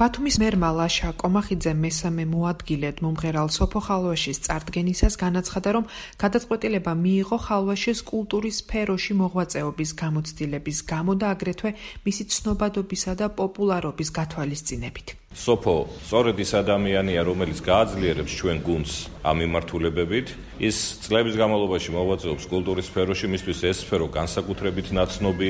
ბათუმის მერმა ლაშა კომახიძე მესამე მოადგილედ მომღერალ სოფო ხალვაშის წარდგენისას განაცხადა, რომ გადაწყვეტილება მიიღო ხალვაშის კულტურის სფეროში მოღვაწეობის გამოცდილების გამო და აგრეთვე მისი ცნობადობისა და პოპულარობის გათვალისწინებით. სოფო სწორედ ის ადამიანია, რომელიც გააძლიერებს ჩვენ გუნდს ამ მიმართულებებით. ის წლების განმავლობაში მოღვაწეობს კულტურის სფეროში, მისთვის ეს სფერო განსაკუთრებით ნაცნობი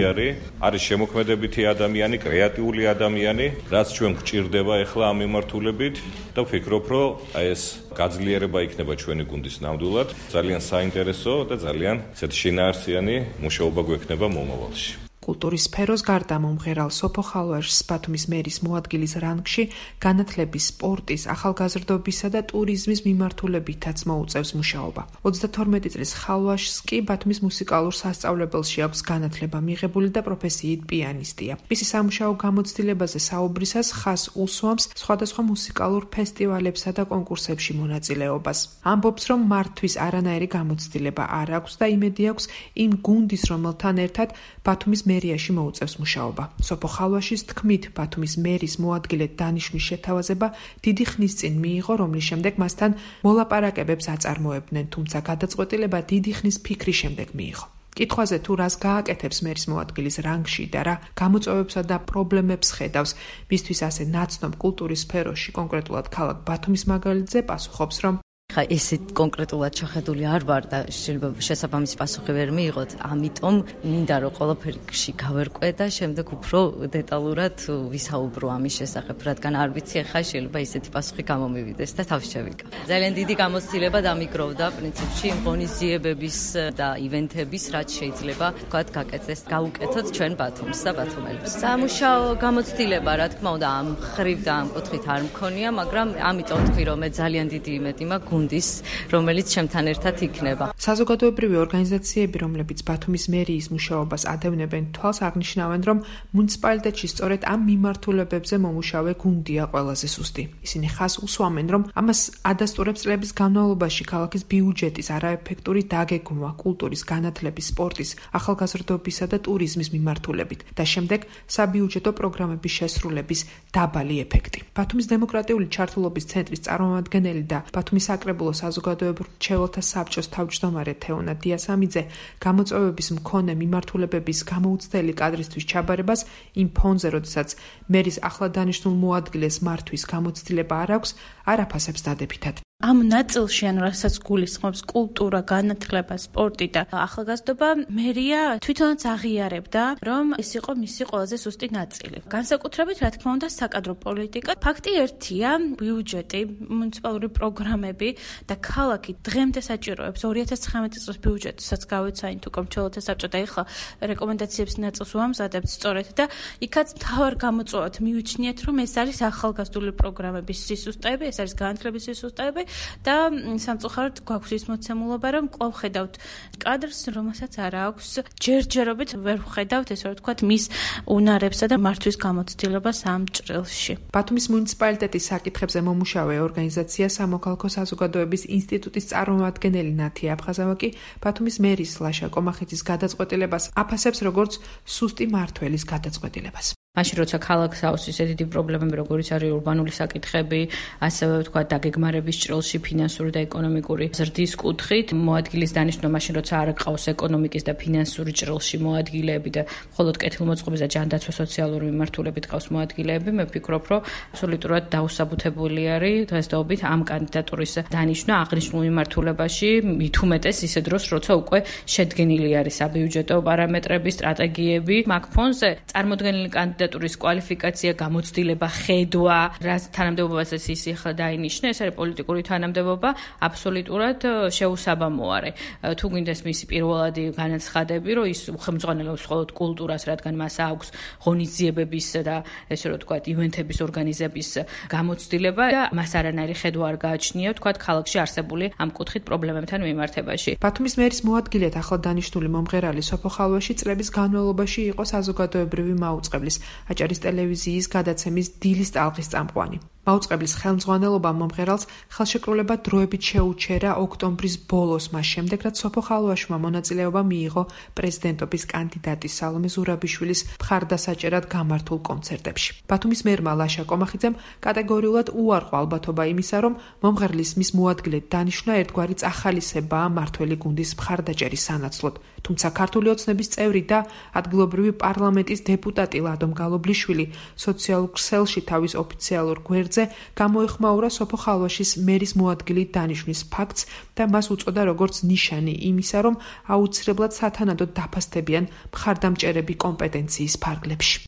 არის შემოქმედებითი ადამიანი, კრეატიული ადამიანი, რაც ჩვენ გვჭირდება ახლა ამ მიმართულებით და ვფიქრობ, რომ ეს გაძლიერება იქნება ჩვენი გუნდის ნამდვილად. ძალიან საინტერესო და ძალიან შინაარსიანი მუშაობა გვექნება მომავალში. კულტურის სფეროს გარდა მომღერალ სოფო ხალვაშს ბათუმის მერის მოადგილის რანგში განათლების, სპორტის, ახალგაზრდობისა და ტურიზმის მიმართულებითაც მოუწევს მუშაობა. 32 წლის ხალვაშს კი ბათუმის მუსიკალურ სასწავლებელში აქვს განათლება მიღებული და პროფესიით პიანისტია. მისი სამუშაო გამოცდილებაზე საუბრისას ხაზს უსვამს სხვადასხვა მუსიკალურ ფესტივალებსა და კონკურსებში მონაწილეობას. ამბობს, რომ მართვის არანაირი გამოცდილება არ აქვს და იმედი აქვს იმ გუნდის, რომელთან ერთად ბათუმის მერიაში მოუწევს მუშაობა. სოფო ხალვაშის თქმით, ბათუმის მერის მოადგილედ დანიშვნის შეთავაზება დიდი ხნის წინ მიიღო, რომლის შემდეგ მასთან მოლაპარაკებებს აწარმოებდნენ, თუმცა გადაწყვეტილება დიდი ხნის ფიქრის შემდეგ მიიღო. კითხვაზე თუ რას გააკეთებს მერის მოადგილის რანგში და რა გამოწვევებსა და პრობლემებს ხედავს მისთვის ასე ნაცნობ კულტურის სფეროში, კონკრეტულად ქალაქ ბათუმის მაგალითზე პასუხობს, რომ ესეთ კონკრეტულად შეხედული არ ვარ და შეიძლება შესაბამისი პასუხი ვერ მიიღოთ, ამიტომ მინდა რომ ყველაფერში გავერკვე და შემდეგ უფრო დეტალურად ვისაუბრო ამის შესახებ, რადგან არ ვიცი ახლა შეიძლება ისეთი პასუხი გამომივიდეს და თავს შევიკავ. ძალიან დიდი გამოცდილება დამიგროვდა პრინციპში ღონისძიებების და ივენთების, რაც შეიძლება ვთქვათ გავუკეთოთ ჩვენ ბათუმს და ბათუმელებს. სამუშაო გამოცდილება, რა თქმა უნდა, ამ ხრივ და ამ კუთხით არ მქონია, მაგრამ ამიტომ თქვი რომ მე ძალიან დიდი იმედი მაქვს რომელიც ჩემთან ერთად იქნება. საზოგადოებრივი ორგანიზაციები, რომლებიც ბათუმის მერიის მუშაობას ადევნებენ, თვალს აღნიშნავენ, რომ მუნიციპალიტეტში სწორედ ამ მიმართულებებზე მომუშავე გუნდია ყველაზე სუსტი. ისინი ხაზს უსვამენ, რომ ამას ადასტურებს წლების განმავლობაში ქალაქის ბიუჯეტის არაეფექტური დაგეგმვა კულტურის, განათლების, სპორტის, ახალგაზრდობისა და ტურიზმის მიმართულებით და შემდეგ საბიუჯეტო პროგრამების შესრულების დაბალი ეფექტი. ბათუმის დემოკრატიული ჩართულობის ცენტრის წარმომადგენელი და ბათუმის საკრებულო საზოგადოებრივ მრჩეველთა საბჭოს თავმჯდომარე თეონა დიასამიძე გამოწვევების მქონე მიმართულებების გამოუცდელი კადრისთვის ჩაბარებას იმ ფონზე, როდესაც მერის ახლად დანიშნულ მოადგილეს მართვის გამოცდილება არ აქვს, არ აფასებს დადებითად. ამ ნაწილში, რასაც გულისხმობს კულტურა, განათლება, სპორტი და ახალგაზრდობა, მერია თვითონაც აღიარებდა, რომ ეს იყო მისი ყველაზე სუსტი ნაწილი. განსაკუთრებით, რა თქმა უნდა, საკადრო პოლიტიკა. ფაქტი ერთია, ბიუჯეტი, მუნიციპალური პროგრამები და ქალაქი დღემდე საჭიროებს 2019 წლის ბიუჯეტსაც გავეცაინთ უკვე მრჩეველთა საბჭო და ეხლა რეკომენდაციებს ნაწილს ვამზადებთ სწორედ და იქაც თავარ გამოწვევად მივიჩნიეთ, რომ ეს არის ახალგაზრდული პროგრამების სისუსტეები, ეს არის განათლების სისუსტეები. და სამწუხაროდ გვაქვს ის მოცემულობა, რომ კვლავ ხედავთ კადრს, რომელსაც არ აქვს ჯერჯერობით ვერ ვხედავთ, ესე რომ ვთქვათ, მის უნარებსა და მართვის გამოცდილებას ამ ჭრილში. ბათუმის მუნიციპალიტეტის საკითხებზე მომუშავე ორგანიზაცია სამოქალაქო საზოგადოების ინსტიტუტის წარმომადგენელი ნათია აფხაზავა კი ბათუმის მერის ლაშა კომახიძის გადაწყვეტილებას აფასებს როგორც სუსტი მმართველის გადაწყვეტილებას. მაშინ როცა ქალაქს აქვს ისე დიდი პრობლემები, როგორიც არის ურბანული საკითხები, ასევე ვთქვათ დაგეგმარების ჭრილში ფინანსური და ეკონომიკური ზრდის კუთხით, მოადგილის დანიშვნა მაშინ როცა არ გყავს ეკონომიკის და ფინანსური ჭრილში მოადგილეები და მხოლოდ კეთილმოწყობის და ჯანდაცვა სოციალური მიმართულებით გყავს მოადგილეები, მე ვფიქრობ, რომ აბსოლუტურად დაუსაბუთებელი არის დღესდღეობით ამ კანდიდატურის დანიშვნა აღნიშნულ მიმართულებაში, მით უმეტეს ისე დროს, როცა უკვე შედგენილი არის საბიუჯეტო პარამეტრები, სტრატეგიები, მაგ ფონზე წარმოდგენილი კანდიდატურის კვალიფიკაცია, გამოცდილება, ხედვა, რაც თანამდებობასაც ის ახლა დაინიშნა, ეს არის პოლიტიკური თანამდებობა, აბსოლუტურად შეუსაბამო არის. თუ გინდეს მისი პირველადი განაცხადები, რომ ის უხელმძღვანელობს მხოლოდ კულტურას, რადგან მას აქვს ღონისძიებების და ესე რომ ვთქვათ, ივენთების ორგანიზების გამოცდილება და მას არანაირი ხედვა არ გააჩნია, ვთქვათ, ქალაქში არსებული ამ კუთხით პრობლემებთან მიმართებაში. ბათუმის მერის მოადგილედ ახლად დანიშნული მომღერალი სოფო ხალვაში წლების განმავლობაში იყო საზოგადოებრივი მაუწყებლის, აჭარის ტელევიზიის გადაცემის დილის ტალღის წამყვანი. მაუწყებლის ხელმძღვანელობამ მომღერალს ხელშეკრულება დროებით შეუჩერა ოქტომბრის ბოლოს, მას შემდეგ, რაც სოფო ხალვაშმა მონაწილეობა მიიღო პრეზიდენტობის კანდიდატის სალომე ზურაბიშვილის მხარდასაჭერად გამართულ კონცერტებში. ბათუმის მერმა ლაშა კომახიძემ კატეგორიულად უარყო ალბათობა იმისა, რომ მომღერლის მის მოადგილედ დანიშვნა ერთგვარი წახალისებაა მართველი გუნდის მხარდაჭერის სანაცვლოდ. თუმცა ქართული ოცნების წევრი და ადგილობრივი პარლამენტის დეპუტატი ლადო მგალობლიშვილი სოციალურ ქსელში თავის ოფიციალურ გვერდზე გამოეხმაურა სოფო ხალვაშის მერის მოადგილით დანიშვნის ფაქტს და მას უწოდა როგორც ნიშანი იმისა, რომ აუცილებლად სათანადოდ დაფასდებიან მხარდამჭერები კომპეტენციის ფარგლებში.